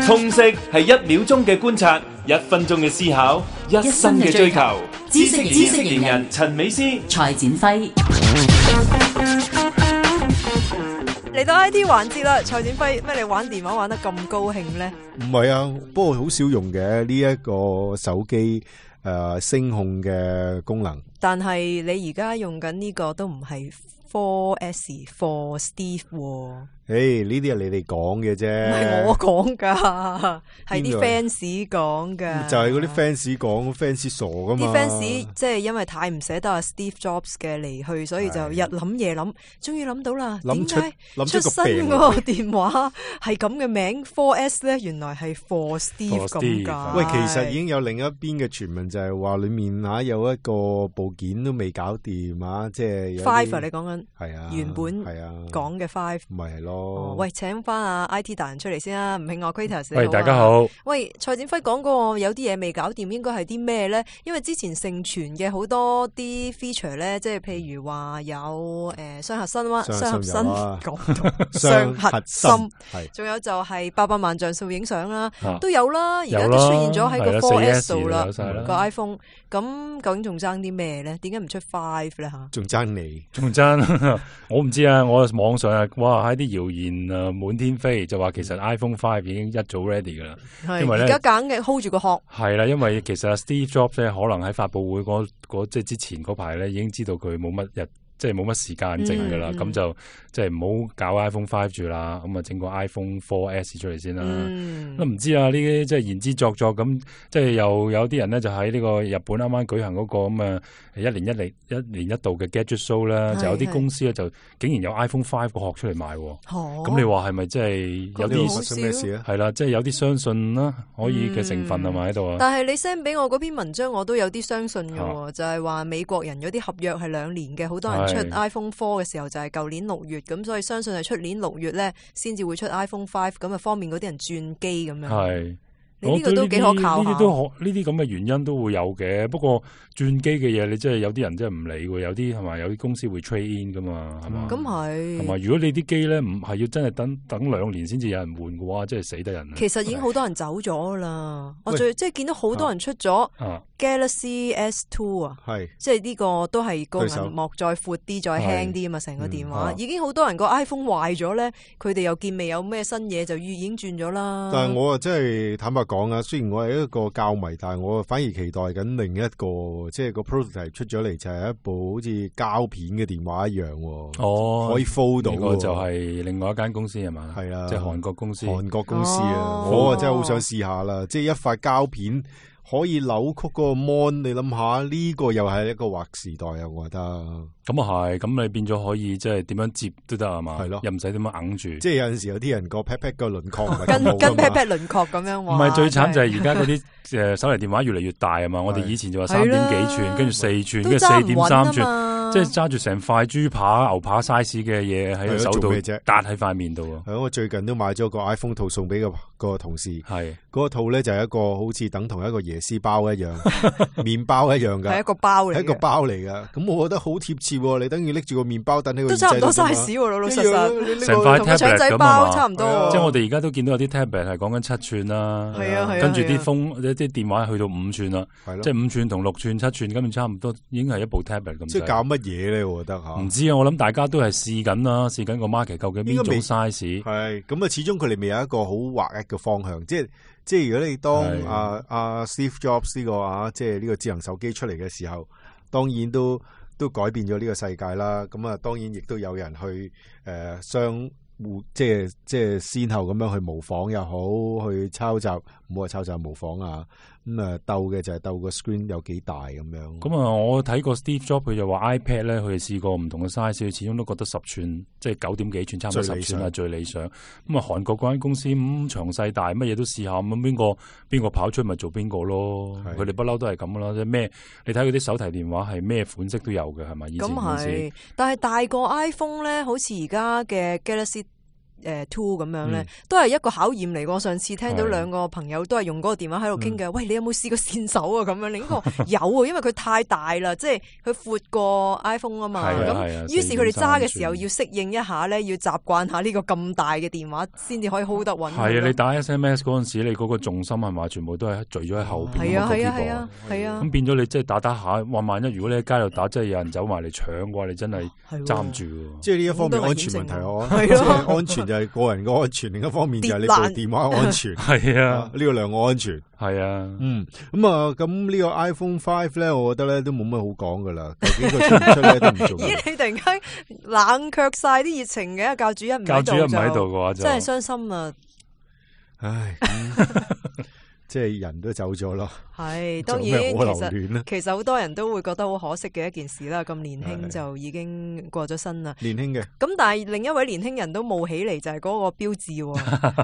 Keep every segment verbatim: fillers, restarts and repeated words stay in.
通識係一秒鐘嘅觀察，一分鐘嘅思考，一生嘅追求。知識知識型人陳美斯、蔡展輝嚟到 I T 環節啦，蔡展輝，咩你玩電話玩得咁高興呢？唔係啊，不過好少用嘅呢一個手機誒、呃、聲控嘅功能。但係你而家用緊呢個都唔係 four S for Steve 喎。誒，呢啲係你哋講嘅啫，唔係我講噶，係啲 fans 講噶。就係嗰啲 fans 講 ，fans 傻噶嘛。啲 fans 即係因為太唔捨得阿 Steve Jobs 嘅離去，所以就日諗夜諗，終於諗到啦。點解出新嗰個電話係咁嘅名 four S 咧？原來係 for Steve 咁噶。喂，其實已經有另一邊嘅傳聞，就係話裏面啊有一個部件都未搞掂啊，即係 five 啊，你講緊係啊，原本係啊講嘅 five，咪係咯。哦、喂，請翻阿 I T 達人出嚟先啦，吳慶岳 Quitters。喂，大家好。喂，蔡展輝講過有啲嘢未搞掂，應該係啲咩咧？因為之前盛傳嘅好多啲 feature 咧，即係譬如話有誒雙核心啦，雙核心講雙核心，係，仲有就係八百萬像素影相啦，都有啦。而家都出現咗喺個 four S 度啦，個 iPhone。咁究竟仲爭啲咩咧？點解唔出 five 咧吓？仲爭你？仲爭？我唔知啊！我網上啊，哇喺啲謠言啊滿天飛，就話其實 iPhone five 已經一早 ready 噶啦。因為咧而家揀嘅 hold 住個殼。係啦，因為其實 Steve Jobs 咧，可能喺發佈會嗰嗰即係之前嗰排咧，已經知道佢冇乜日。即係冇乜時間剩噶啦，咁、嗯、就即係唔好搞 iPhone five 住啦，咁啊整個 iPhone four S 出嚟先啦。都唔、嗯、知啊，呢啲即係言之鑿鑿咁，即係又有啲人咧就喺呢個日本啱啱舉行嗰個咁啊一年一嚟一年一度嘅 Gadget Show 啦，就有啲公司咧就竟然有 iPhone five 個殼出嚟賣。咁、哦、你話係咪即係有啲發生咩事啊？係啦，即係有啲相信啦，可以嘅成分係咪喺度啊？但係你 send 俾我嗰篇文章，我都有啲相信嘅、啊，就係、是、話美國人有啲合約係兩年嘅，好多人。出 iPhone four 嘅時候就係舊年六月，咁所以相信係出年六月咧先至會出 iPhone five， 咁啊方便嗰啲人轉機咁樣。係，你呢個都幾可靠下。呢啲都可，呢啲咁嘅原因都會有嘅。不過轉機嘅嘢，你真係有啲人真係唔理喎。有啲係咪有啲公司會 trade in 噶嘛？係嘛？咁係。係嘛？如果你啲機咧唔係要真係等等兩年先至有人換嘅話，真係死得人。其實已經好多人走咗啦。我最即係見到好多人出咗。Galaxy S two 啊，係即係呢個都係個屏幕再闊啲、再輕啲啊嘛，成個電話、嗯、已經好多人個 iPhone 壞咗咧，佢哋又見未有咩新嘢就已經轉咗啦。但係我啊真係坦白講啊，雖然我係一個膠迷，但係我反而期待緊另一個，即係個 prototype 出咗嚟就係一部好似膠片嘅電話一樣。哦，可以 fold 到。呢個就係另外一間公司係嘛？係啊，即係韓國公司。韓國公司啊，哦、我啊真係好想試下啦，即係一塊膠片。可以扭曲嗰個 mon， 你諗下呢個又係一個劃時代啊！我覺得咁啊係，咁你變咗可以即係點樣接都得係嘛？係咯，又唔使點樣揞住。即係有陣時有啲人個 pat pat 個輪廓跟跟 pat pat 輪廓咁樣。唔係最慘就係而家嗰啲誒手提電話越嚟越大啊嘛！我哋以前就話三點幾寸，跟住四寸，跟住四點三寸。即係揸住成塊豬扒、牛扒 size 嘅嘢喺手度，搭喺塊面度啊！係我最近都買咗個 iPhone 套送俾個個同事，係嗰、嗰個套咧就係一個好似等同一個椰絲包一樣，麵包一樣噶，係一個包嚟，係一個包嚟噶。咁我覺得好貼切，你等於拎住個麵包等喺個都差唔多 size，老老實實，成塊 tablet 仔包差唔多。即係我哋而家都見到有啲 tablet 係講緊七寸啦，係啊係啊，跟住啲風一啲電話去到五寸啦，即係五寸同六寸、七寸，根本差唔多，已經係一部 tablet 咁。即係搞乜嘢咧？我覺得。唔知啊，我諗大家都係試緊啦，試緊個 market 究竟邊種 size 係咁啊？始終佢哋未有一個好劃一嘅方向，即係即係如果你當阿阿、啊啊、Steve Jobs 呢、這個啊，即係呢個智能手機出嚟嘅時候，當然都都改變咗呢個世界啦。咁啊，當然亦都有人去誒、呃、相互即係即係先後咁樣去模仿又好，去抄襲，唔好話抄襲模仿啊。咁啊，鬥嘅就係鬥個 screen 有幾大咁樣。咁啊，我睇過 Steve Jobs 佢就話 iPad 咧，佢哋試過唔同嘅 size，佢始終都覺得十寸，即係九點幾寸，差唔多十寸係最理想。咁啊，韓國嗰間公司咁詳細大，乜嘢都試下，咁邊個邊個跑出咪做邊個咯？佢哋不嬲都係咁噶啦，即係咩？你睇佢啲手提電話係咩款式都有嘅，係咪？以前咁係，但係大個 iPhone 咧，好似而家嘅 Galaxy 誒 Two 咁樣咧，嗯、都係一個考驗嚟。我上次聽到兩個朋友都係用嗰個電話喺度傾嘅，喂，你有冇試過線手啊？咁樣，另一個有啊，因為佢太大啦，即係佢闊過 iPhone 啊嘛。咁於是佢哋揸嘅時候要適應一下咧，要習慣下呢個咁大嘅電話，先至可以 hold 得穩。係啊，你打 S M S 嗰陣時，你嗰個重心係嘛，全部都係聚咗喺後邊。係啊係啊係啊係啊。咁變咗你即係打打下，話萬一如果你喺街度打，真係有人走埋嚟搶嘅話，你真係揸唔住。即係呢一方面安全問題，我即係安全就係個人嘅安全，另一方面就係你部電話安全。係啊，呢個兩個安全。係啊，嗯，咁啊，咁呢個 iPhone Five 咧，我覺得咧都冇乜好講噶啦。究竟佢出唔出咧都唔重要。咦，你突然間冷卻晒啲熱情嘅，教主一唔喺度，教主一唔喺度嘅話就真係傷心啊！唉。嗯即係人都走咗咯，係當然其實其實好多人都會覺得好可惜嘅一件事啦。咁年輕就已經過咗身啦，年輕嘅。咁但係另一位年輕人都冒起嚟，就係嗰個標誌。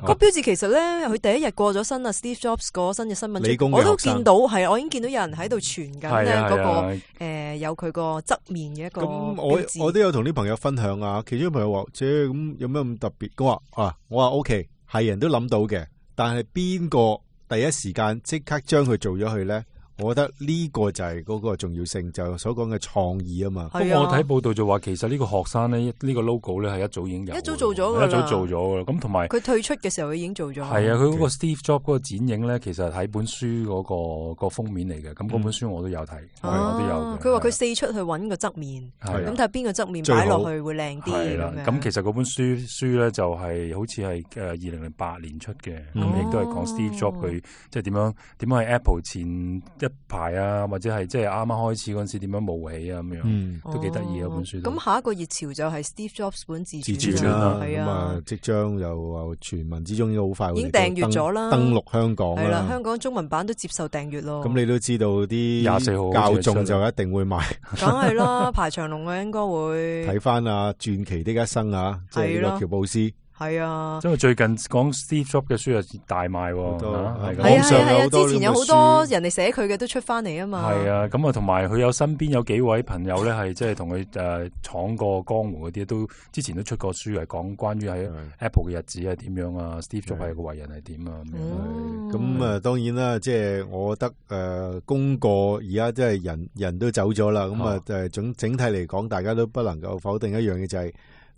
個標誌其實咧，佢第一日過咗身啊 ，Steve Jobs 過咗身嘅新聞，我都見到係，我已經見到有人喺度傳緊咧嗰個誒有佢個側面嘅一個標誌。咁我我都有同啲朋友分享啊，其中啲朋友話：，即係咁有咩咁特別？我話啊，我話 OK，係人都諗到嘅，但係邊個？第一時間即刻將佢做咗去咧，我覺得呢個就係嗰個重要性，就係所講嘅創意啊嘛。不過我睇報道就話，其實呢個學生咧，呢個 logo 咧係一早已經有，一早做咗噶啦，一早做咗噶啦。咁同埋佢退出嘅時候，佢已經做咗。係啊，佢嗰個 Steve Jobs 嗰個剪影咧，其實喺本書嗰個個封面嚟嘅。咁嗰本書我都有睇，我都有。佢話佢四出去揾個側面，咁睇下邊個側面擺落去會靚啲。係啦，咁其實嗰本書書咧就係好似係誒二零零八年出嘅，咁亦都係講 Steve Jobs 佢即係點樣點樣喺 Apple 前一排啊。或者係即係啱啱開始嗰陣時點樣冒起啊咁樣，嗯、都幾得意啊本書。咁下一個熱潮就係 Steve Jobs 本自傳啦，係啊，即將又傳聞之中已經好快已經訂閱咗啦，登陸香港啦。係啦，香港中文版都接受訂閱咯。咁你都知道啲廿四號教眾就一定會買，梗係啦，排長龍啊，應該會睇翻啊傳奇的一生啊，即係呢個喬布斯。係啊，因為最近講 Steve Jobs 嘅書又大賣，係啊係啊，之前有好多人哋寫佢嘅都出翻嚟啊嘛。係啊，咁啊同埋佢有身邊有幾位朋友咧，係即係同佢誒闖過江湖嗰啲，都之前都出過書，係講關於喺 Apple 嘅日子係點樣啊 ，Steve Jobs 係個為人係點啊咁樣。咁啊，當然啦，即係我覺得誒，功過而家即係人人都走咗啦，咁啊誒總整體嚟講，大家都不能夠否定一樣嘢就係。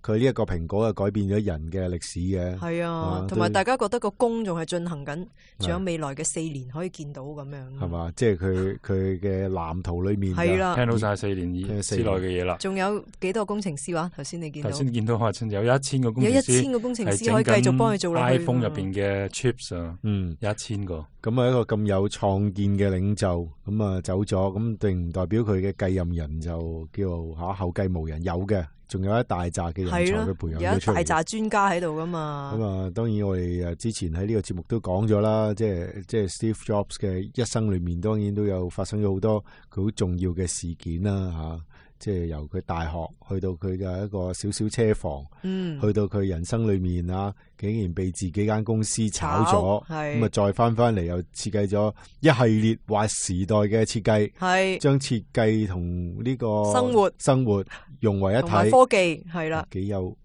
佢呢一個蘋果啊，改變咗人嘅歷史嘅。係啊，同埋大家覺得個工仲係進行緊，仲有未來嘅四年可以見到咁樣。係嘛，即係佢佢嘅藍圖裏面係啦，聽到晒四年以之內嘅嘢啦。仲有幾多工程師話？頭先你見到？頭先見到話有一千個工程師，有一千個工程師可以繼續幫佢做落去。iPhone 入邊嘅 chips 啊，嗯，有一千個。咁啊，一個咁有創建嘅領袖，咁啊走咗，咁並唔代表佢嘅繼任人就叫吓後繼無人，有嘅。仲有一大紮嘅人才嘅培養咗出嚟，有一大紮專家喺度噶嘛。咁啊，當然我哋誒之前喺呢個節目都講咗啦，即係即係 Steve Jobs 嘅一生裏面，當然都有發生咗好多佢好重要嘅事件啦，吓。即係由佢大學去到佢嘅一個小小車房，嗯、去到佢人生裏面啊，竟然被自己間公司炒咗，咁啊再翻翻嚟又設計咗一系列劃時代嘅設計，係將設計同呢個生活生活融為一體，科技係啦，幾有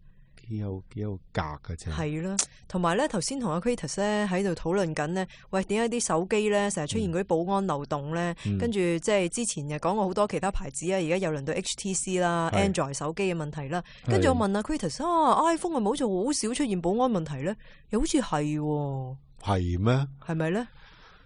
幾有幾有格嘅啫，係啦。同埋咧，頭先同阿 Kratos 咧喺度討論緊咧，喂，點解啲手機咧成日出現嗰啲保安漏洞咧？嗯、跟住即係之前又講過好多其他牌子啊，而家又輪到 H T C 啦、是 Android 手機嘅問題啦。跟住我問阿 Kratos 啊 ，iPhone 係咪好似好少出現保安問題咧？又好似係喎，係咩？係咪咧？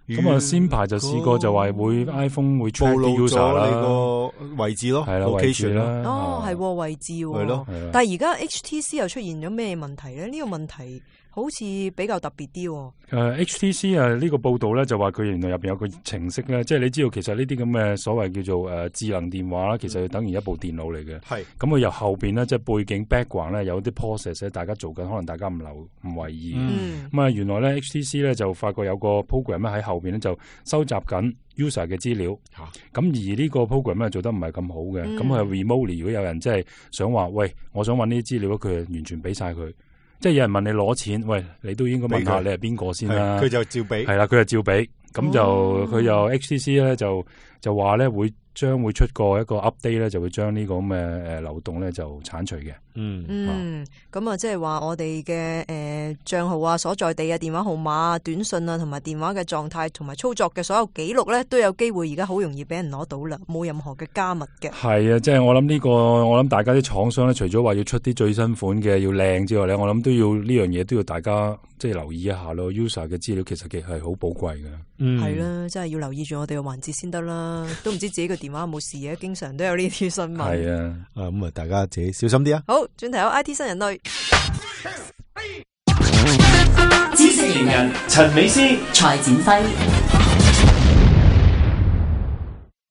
咁啊，先排就試過就話會 iPhone 會 track 啲 user 啦，個位置咯，係啦，位置啦。哦，係位置，係咯。但係而家 H T C 又出現咗咩問題咧？呢個問題好似比較特別啲。誒 H T C 啊，呢個報道咧就話佢原來入邊有個程式咧，即係你知道其實呢啲咁嘅所謂叫做誒智能電話啦，其實等於一部電腦嚟嘅。係。咁佢由後邊咧，即係背景 background 咧有啲 process 咧，大家做緊，可能大家唔留唔為意。咁啊，原來咧 H T C 咧就發覺有個 program 咧喺後邊咧就收集緊 user 嘅資料。嚇。咁而呢個 program 咧做得唔係咁好嘅，咁佢係 remotely 如果有人即係想話，喂，我想揾呢啲資料，佢係完全俾晒佢。即係有人問你攞錢，喂，你都應該問下你係邊個先啦。佢就照俾，係啦，佢就照俾，咁就佢又 H T C 咧就就話咧會將會出過一個 update 咧，就會將呢個咁嘅誒漏洞咧就剷除嘅。嗯嗯，咁啊，即係話我哋嘅誒帳號啊、所在地啊、電話號碼啊、短信啊，同埋電話嘅狀態同埋操作嘅所有記錄咧，都有機會而家好容易俾人攞到啦，冇任何嘅加密嘅。係啊，即係我諗呢個，我諗大家啲廠商咧，除咗話要出啲最新款嘅要靚之外咧，我諗都要呢樣嘢都要大家即係留意一下咯。user 嘅資料其實其實係好寶貴嘅。嗯，係啦，真係要留意住我哋嘅環節先得啦，都唔知自己個電話有冇事嘅，經常都有呢啲新聞。係啊，啊咁啊，大家自己小心啲啊！好，轉頭有 I T 新人類，知識型人陳美詩、蔡展輝。